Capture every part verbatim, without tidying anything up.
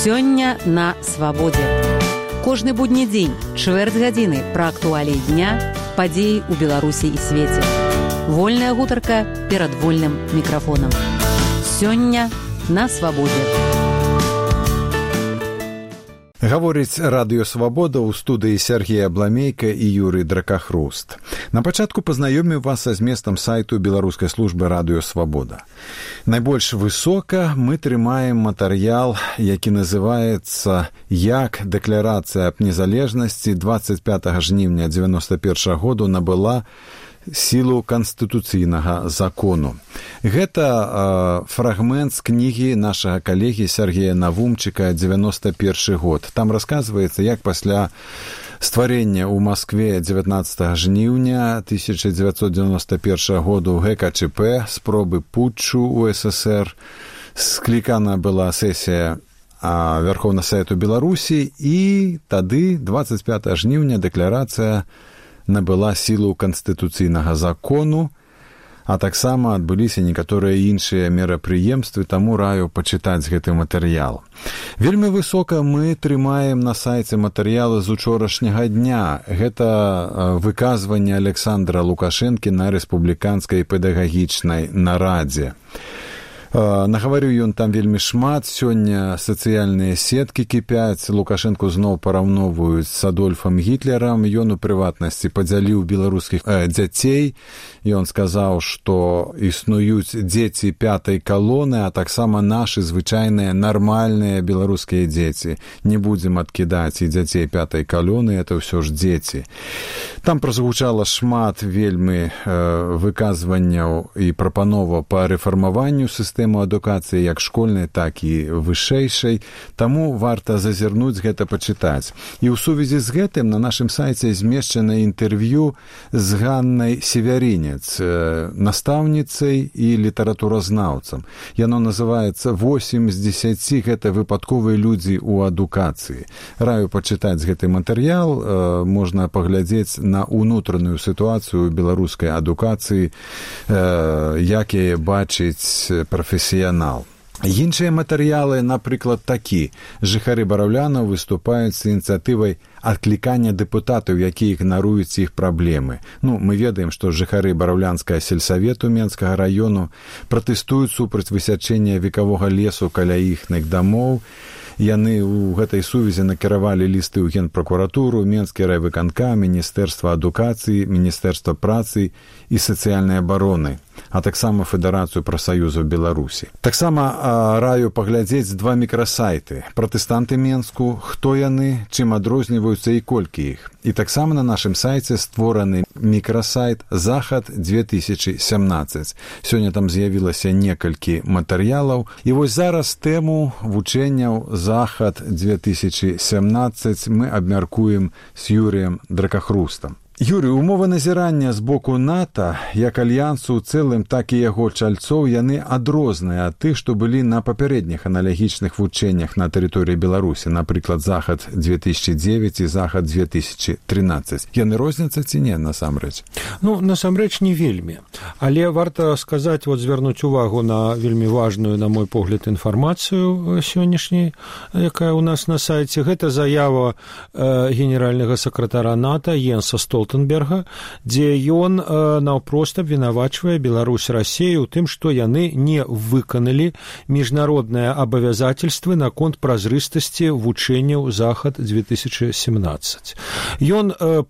Сёння на свабодзе. Кожны будні дзень, чвэрць гадзіны пра актуаліі дня, падзеі ў Беларусі і свеце. Вольная гутарка перад вольным мікрафонам. Сёння на свабодзе. Гаворыць радыё «Свабода» ў студыі Сергей Абламейка і Юрый Дракахруст. На пачатку пазнаёмім вас са зместам сайту беларускай службы радыё «Свабода». Найбольш высока мы трымаем матэрыял, які называецца «Як дэкларацыя аб незалежнасці дваццаць пятага жніўня дзевяноста першага году набыла сілу канстытуцыйнага закону». Гэта э, фрагмент з кнігі нашага калегі Сергея Навумчыка «дзевяноста першы год». Там расказваецца, як пасля стварення ў Маскве дзевятнаццатага жніўня тысяча дзевяцьсот дзевяноста першага году гэ ка чэ пэ, спробы путчу ў эс эс ер, склікана была сесія а, Верховнага Савету Беларусі, і тады дваццаць пятага жніўня дэкларацыя набыла сілу канстытуцыйнага закону, а таксама адбыліся некаторыя іншыя мерапрыемствы, таму раю пачытаць гэты матэрыял. Вельмі высока мы трымаем на сайце матэрыялы з учорашняга дня. Гэта выказванне Александра Лукашэнкі на рэспубліканскай педагагічнай нарадзе. Нагаварыў ён там вельмі шмат. Сёння сацыяльныя сеткі кіпяць. Лукашэнку зноў параўноўваюць з Адольфам Гітлерам. Ён у прыватнасці падзяліў беларускіх э, дзяцей. Ён сказаў, што існуюць дзеці пятай калоны, а таксама нашы звычайныя нармальныя беларускія дзеці. Не будзем адкідаць і дзяцей пятай калоны, это ўсё ж дзеці. Там прагучала шмат вельмі э, выказванняў і прапановаў па рэфармаванню сістэмы адукацыі як школьнай, так і вышэйшай. Таму варта зазірнуць гэта пачытаць. І ў сувязі з гэтым на нашым сайце змешчана інтэрв'ю з Ганнай Севярінец, настаўніцай і літаратуразнаўцам. Яно называецца «восемь з дзесяці гэта выпадковыя людзі ў адукацыі». Раю пачытаць гэты матэрыял, можна паглядзець на ўнутраную сітуацыю беларускай адукацыі, як яе бачыць прафесіянал. Іншыя матэрыялы, напрыклад, такі. Жыхары Бараўляна выступаюць з ініцыятывай адклікання дэпутатаў, якія ігнаруюць іх праблемы. Ну, мы ведаем, што жыхары Бараўлянскага сельсавету Менскага раёну пратэстуюць супраць высячэння векавога лесу каля іхных дамоў. Яны ў гэтай сувязі накіравалі лісты ў Генпракуратуру, Менскі райвыканкам, Міністэрства адукацыі, Міністэрства працы і сацыяльнай абароны, а таксама Федэрацыю прафсаюзаў Беларусі. Таксама а, раю паглядзець два мікрасайты. Пратэстанты Менску, хто яны, чым адрозніваюцца і колькі іх. І таксама на нашым сайце створаны мікрасайт «Захад две тысячи семнадцать». Сёння там з'явілася некалькі матэрыялаў. І вось зараз тэму вучэнняў «Захад две тысячи семнадцать» мы абмяркуем з Юрыем Дракахрустам. Юрый, умовы назірання з боку НАТО, як альянсу ў цэлым, так і яго чальцоў, яны адрозныя ад тых, што былі на папярэдніх аналагічных вучэннях на тэрыторыі Беларусі, напрыклад, «Захад две тысячи девять» і «Захад две тысячи тринадцать». Яны розняцца ці не, насамрэч? Ну, насамрэч, не вельмі. Але варта сказаць, вот звярнуць увагу на вельмі важную, на мой погляд, інфармацыю сённяшняй, якая у нас на сайце. Гэта заява э, генеральнага сакратара НАТО Йенса Столтенберга, дзе ён э, наўпрост абвінавачвае Беларусь, Расею ў тым, што яны не выканалі міжнародныя абавязательствы наконт празрыстасці вучэнняў «Захад две тысячи семнадцать». Ён э,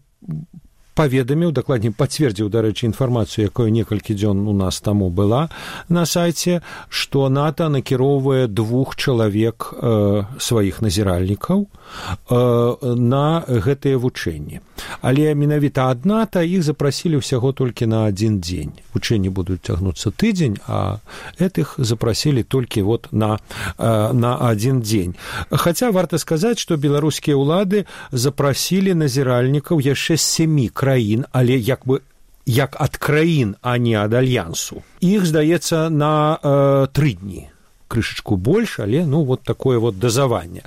паведаміў, дакладней пацвердзіў, дарэчы, інфармацыю, якая некалькі дзён у нас таму была на сайце, што НАТО накіроўвае двух чалавек э, сваіх назіральнікаў э, на гэтыя вучэнні. Але менавіта ад НАТО іх запрасілі ўсяго толькі на адзін дзень. Вучэнні будуць цягнуцца тыдзень, а гэтых запрасілі толькі вот на, э, на адзін дзень. Хаця варта сказаць, што беларускія ўлады запрасілі назіральнікаў яшчэ з сямі краін, але як бы як ад краін, а не ад альянсу. Іх, здаецца, на э, тры дні. крышачку больш, але ну вот такое вот дазаванне.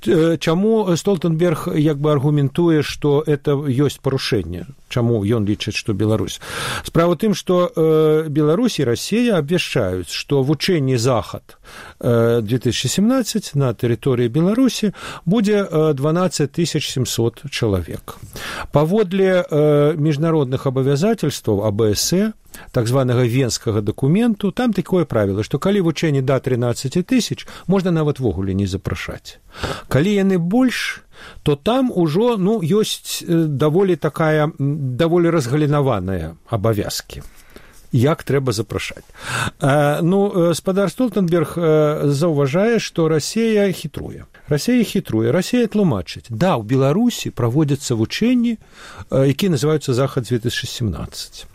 Чаму Столтенберг як бы аргументуе, што это ёсць парушэнне? Чаму ён лічыць, што Беларусь? Справа ў тым, што э, Беларусь і Расія абвяшчаюць, што вучэнні захад э, две тысячи семнадцать на тэрыторыі Беларусі будзе э, дванаццаць тысяч семьсот чалавек. Паводле э, міжнародных абавязательстваў А Б С Э, так званага венскага дакументу, там такое правіла, што калі вучэнні да трынаццаць тысяч, можна нават вогуле не запрашаць. Калі яны больш, то там ужо ну, ёсць даволі такая, даволі разгалінаваная абавязкі. Як трэба запрашаць. Ну, спадар Столтенберг заўважае, што Расія хітруе. Расія хітруе, Расія тлумачыць. Да, у Беларусі праводзяцца вучэнні, якія называюцца Захад две тысячи семнадцать.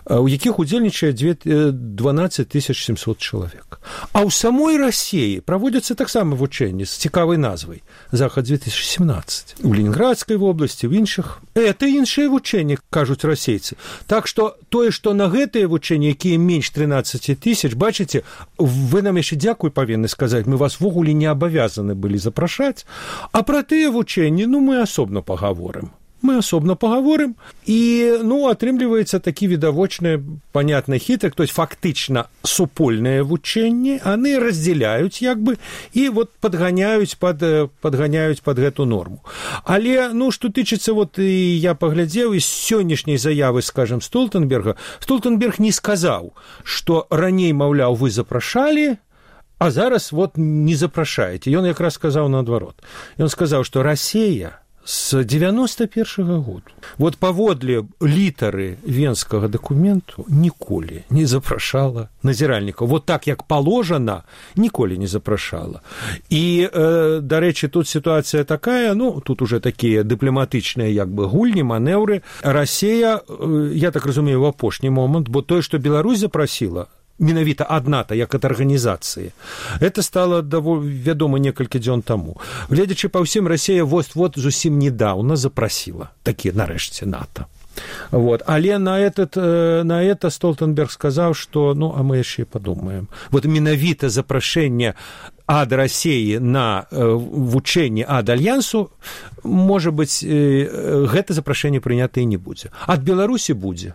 У якіх удзельнічае дванаццаць тысяч семьсот чалавек. А ў самой Расіі праводзяцца таксама вучэнні з цікавай назвай Захад две тысячи семнадцать. У Ленінградскай вобласці, в іншых. Это іншыя вучэнні, кажуць расейцы. Так што тое, што на гэтыя вучэнні, якія менш трынаццаць тысяч, бачыце, вы нам яшчэ дзякуй павінны сказаць, мы вас вогуле не абавязаны былі запрашаць, а пра тыя вучэнні, ну, мы асобна пагаворым. Мы асобна пагаворым, і, ну, атрымліваецца такі відавочны, панятны хітрык, то есть фактычна супольныя вучэнні, яны раздзяляюць, як бы, і вот падганяюць пад, падганяюць пад гэту норму. Але, ну, што тычыцца, вот, і я паглядзеў, і з сённяшняй заявы, скажем, Столтенберга, Столтенберг не сказаў, што раней, маўляў, вы запрашалі, а зараз, вот, не запрашаеце. Ён якраз сказаў наадварот. Ён сказаў, што Расія с девяносто первого года. Вот паводле літары венскага дакументу ніколі не запрашала назіральнікаў. Вот так, як положено, ніколі не запрашала. І, э, дарэчы, тут сітуацыя такая, ну, тут уже такія дыпламатычныя, як бы, гульні, манеўры. Расія, э, я так разумею, в апошні момант, бо тое, што Беларусь запрасіла, менавіта адна-то, як ад арганізацыі. Это стало вядома некалькі дзён таму. Гледзячы па ўсім, Расія вот-вот зусім недаўна запрасіла такі, нарэшце, НАТО. Вот. Але на, этот, на это Столтенберг сказаў, што, ну, а мы яшчэ падумаем. Вот менавіта запрашэнне ад Расіі на вучэнне ад Альянсу, можа быць, гэта запрашэнне прынята і не будзе. Ад Беларусі будзе.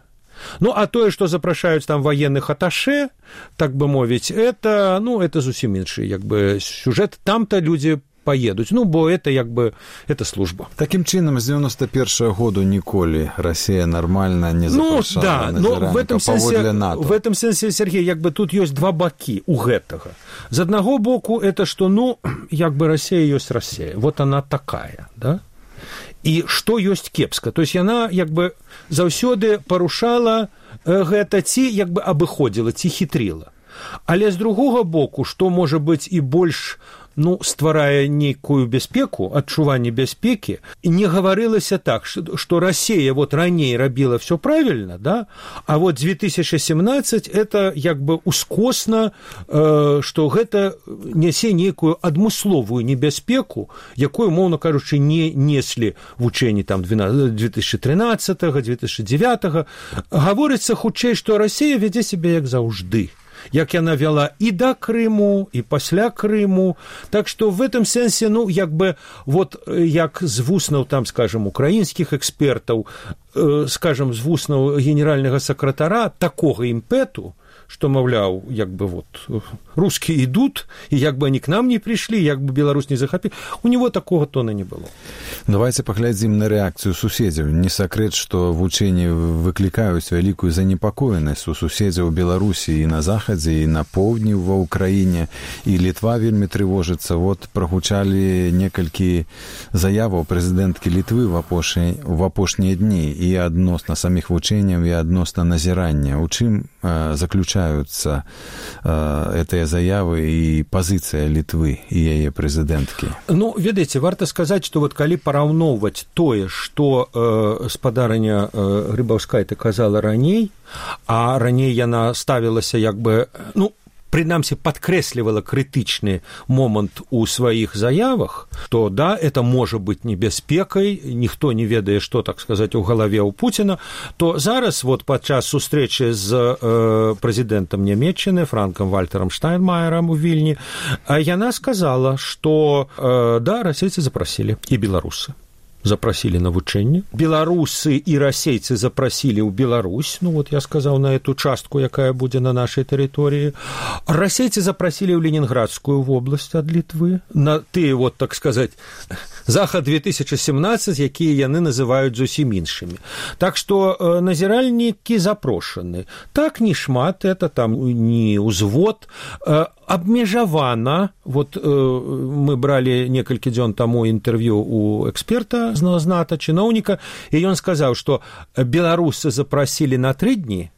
Ну, а тое, што запрашаюць там военных аташе, так бы мовіць, это, ну, это зусім іншы, як бы, сюжэт. Там-то людзі поедуць, ну, бо это, як бы, это служба. Такім чынам, з девяносто первого году ніколі Расія нармальна не запрашала ну, да, назіральніка паводле НАТО. В этом сэнсе, Сергей, як бы тут ёсць два бакі у гэтага. З аднаго боку, это што, ну, як бы Расія ёсць Расія. Вот она такая, да? І што ёсць кепска. То есть яна, як бы, заўсёды парушала гэта, ці, як бы, абыходзіла, ці хітрыла. Але з другога боку, што можа быць і больш, ну, стварае нейкую бяспеку, адчуванне бяспекі, не гаварылася так, што Расія вот раней рабіла все правильно, да, а вот две тысячи семнадцать это як бы ускосна, э, што гэта нясе нейкую адмысловую небяспеку, якую, моўна кажучы, не неслі вучэнні там две тысячи тринадцатого, две тысячи девятого. Гаворыцца хутчэй, што Расія вядзе сябе як заўжды. Як яна вяла і да Крыму, і пасля Крыму. Так што в этом сэнсе, ну, як бы, вот, як з вуснаў, там, скажем, украінскіх экспертаў, э, скажем, з вуснаў генеральнага сакратара, такога імпэту, што, маўляў, як бы, вот, русские идут, и як бы они к нам не пришли, як бы Беларусь не захопили, у него такого тона не было. Давайте паглядзім на рэакцыю суседзяў. Не сакрэт, што вучэнні выклікаюць вялікую занепакоенасць у суседзяў Беларусі і на захадзе, і на поўдні ва ўкраіне, і Літва вельмі трывожыцца. Вот прагучалі некалькі заяваў прэзідэнткі Літвы в апошнія дні і адносна саміх вучэнняў, і адносна назірання. У чым э, заключаюцца э, гэтыя заявы і пазіцыя Літвы і яе прэзідэнткі? Ну, ведаеце, варта сказаць, што вот калі параўноўваць тое, што э, спадарыня э, Грыбаўская казала раней, а раней яна ставілася як бы, ну, прынамсі падкрэслівала крытычны момант у сваіх заявах, то да, это можа быць небяспекай, ніхто не ведае, што, так сказаць, у галаве ў Пуціна, то зараз вот падчас сустрэчы з э, прэзідэнтам Нямецчыны Франкам Вальтарам Штайнмаерам у Вільні, яна сказала, што э, да, расейцы запрасілі і беларусы. Запросили на вучэнне. Беларусы и расейцы запросили ў Беларусь, ну вот я сказал на эту частку, якая будзе на нашай тэрыторыі. Расейцы запросили ў Ленинградскую область ад Літвы, на тыя, вот, так сказать, захад две тысячи семнадцать, якія яны называюць зусім іншымі. Так што э, назіральнікі запрошаны. Так не шмат, это там не ўзвод, э, абмежавана, вот э, мы брали некалькі дзён таму інтэрв'ю у эксперта, знata, чыноўніка, і ён сказаў, што беларусы запросили на тры дні,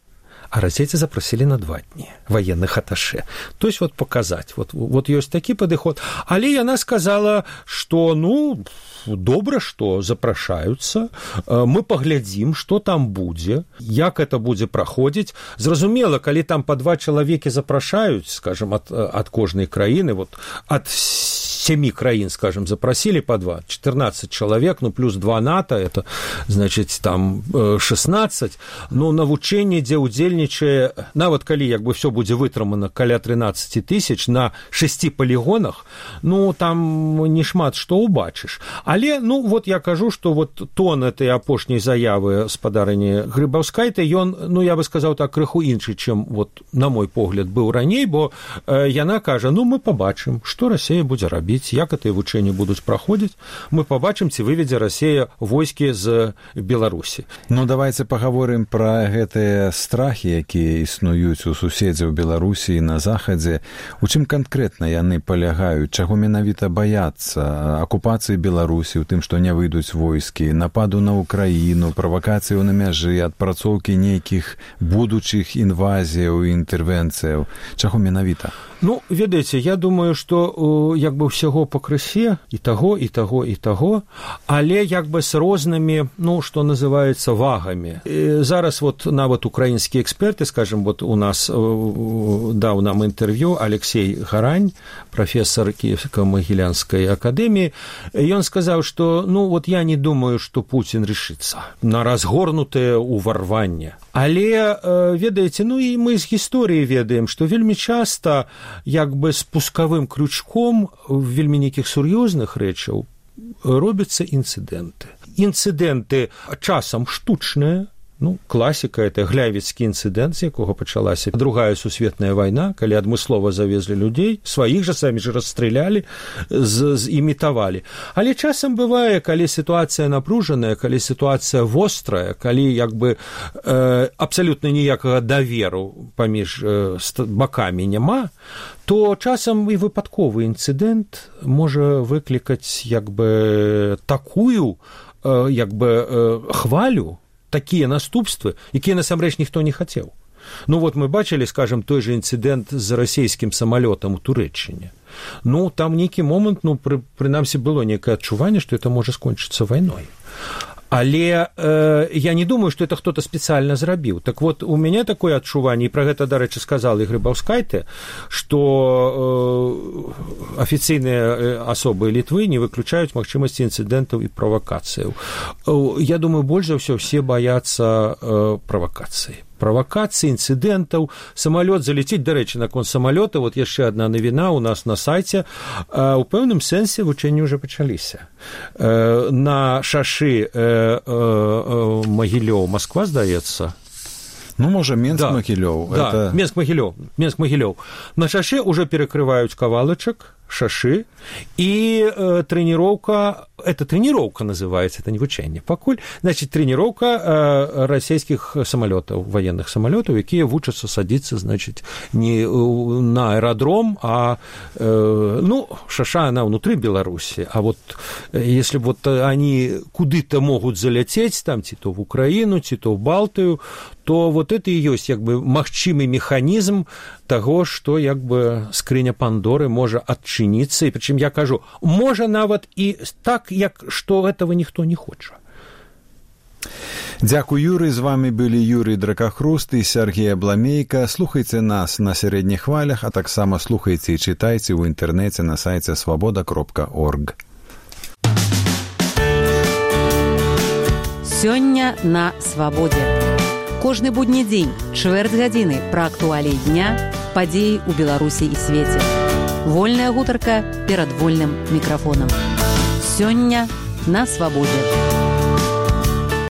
а расейцы запросили на два дні военных аташе. То есть вот показать, вот, вот ёсць такі падыход. Але яна сказала, што, ну, добра, што запрашаюцца, мы паглядзім, што там будзе, як это будзе праходзіць. Зразумела, калі там па два чалавекі запрашаюць, скажем, ад, ад кожнай краіны, вот, ад семи краін, скажем, запросили по два, четырнадцать человек, ну, плюс два НАТО, это, значит, там шестнадцать, ну, на вучэнні, дзе ўдзельнічае, нават калі, як бы, все будзе вытрымана каля тринадцать тысяч на шести полигонах, ну, там не шмат што ўбачыш. Але, ну, вот я кажу, што вот тон этой апошняй заявы спадарыні Грыбаўскайте, ён, ну, я бы сказаў так, крыху іншы, чым, вот, на мой погляд, быў раней, бо э, яна кажа, ну, мы пабачым, што Расія будзе рабіць, як гэтыя вучэнні будуць праходзіць, мы пабачым, ці выведзе Расія войскі з Беларусі. Ну, давайте паговорым пра гэтыя страхі, якія існуюць у суседзяў Беларусі на захадзе. У чым канкрэтна яны палягаюць? Чаго менавіта баяцца? Акупацыі Беларусі, у тым, што не выйдуць войскі, нападу на Украіну, правакацыю на мяжы, адпрацоўкі нейкіх будучых інвазіяў і інтэрвенцыяў. Чаго менавіта? Ну, ведаеце, я думаю, што як бы ўсяго пакрысе і таго, і таго, і таго, але як бы з рознымі, ну, што называецца, вагамі. І зараз вот нават украінскія эксперты, скажем, вот у нас даў нам інтэрв'ю Алексей Гарань, профессор Киево-Могилянской академии, ён сказаў, што, ну, вот я не думаю, што Путин решится на разгорнутае ўварванне. Але, ведаеце, ну, і мы з гісторыі ведаем, што вельмі часта як бы спускавым крючком вельмі нейкіх сур'ёзных рэчаў робяцца інцыдэнты. Інцыдэнты часам штучныя, ну, класіка, это глявіцкі інцыдэнт, з якога пачалася другая сусветная вайна, калі адмыслова завезлі людзей, сваіх жа самі ж расстралялі, зімітавалі. Але часам бывае, калі сітуацыя напружаная, калі сітуацыя вострая, калі як бы э, абсалютна ніякага даверу паміж э, бакамі няма, то часам і выпадковы інцыдэнт можа выклікаць як бы такую э, як бы э, хвалю, такія наступствы, якія насамрэч ніхто не хацеў. Ну вот мы бачылі, скажем, той же інцыдэнт з расійскім самалётам у Турэччыне. Ну там нейкі момант, ну пры, прынамсі было нейкае адчуванне, што это можа скончыцца вайной. Але э, я не думаю, што это хто-то спецыяльна зрабіў. Так вот, у мяне такое адчуванне, і пра гэта, дарэчы, сказал і Грыбаўскайте, што э, афіцыйныя асобы Літвы не выключаюць магчымасці інцыдэнтаў і правакацыяў. Э, я думаю, больш за ўсё все баяцца э, правакацыі. Правокаций, инцидентов, самолет залететь, до речі, наконт самолета, вот яшчэ одна навіна у нас на сайце, у пэўным сэнсе вучэнні ўжо пачаліся. На шашы Магілёў, Москва, здаецца, ну, можа, Менск-Магілёў. Да, это... да, Менск-Магілёў, Менск-Магілёў. На шашы уже перекрываюць кавалачак, шашы, и э, тренировка, это тренировка называется, это не вучэнне, пакуль, значит, тренировка э, расійскіх самолетов, военных самолетов, якія вучацца садиться, значит, не на аэродром, а, э, ну, шаша, она внутри Беларуси, а вот если вот они куды-то могут залететь, там, ці то в Украину, ці то в Балтию, то вот это и есть, як бы, магчымы механизм того, что, як бы, скрыня Пандоры можа адчыніцца, і прычым я кажу, можа нават і так, як што этого ніхто не хоча. Дзякуй, Юрый. З вами былі Юрий Дракахруст і Сергей Абламейка. Слухайце нас на сярэдніх хвалях, а таксама слухайце і чытайце ў інтэрнэце на сайце свабода кропка орг. Сёння на свабодзе. Кожны будні дзень, чвэрць гадзіны пра актуаліі дня, падзеі ў Беларусі і свеце. Вольная гутарка перад вольным мікрафонам. Сёння на свабодзе.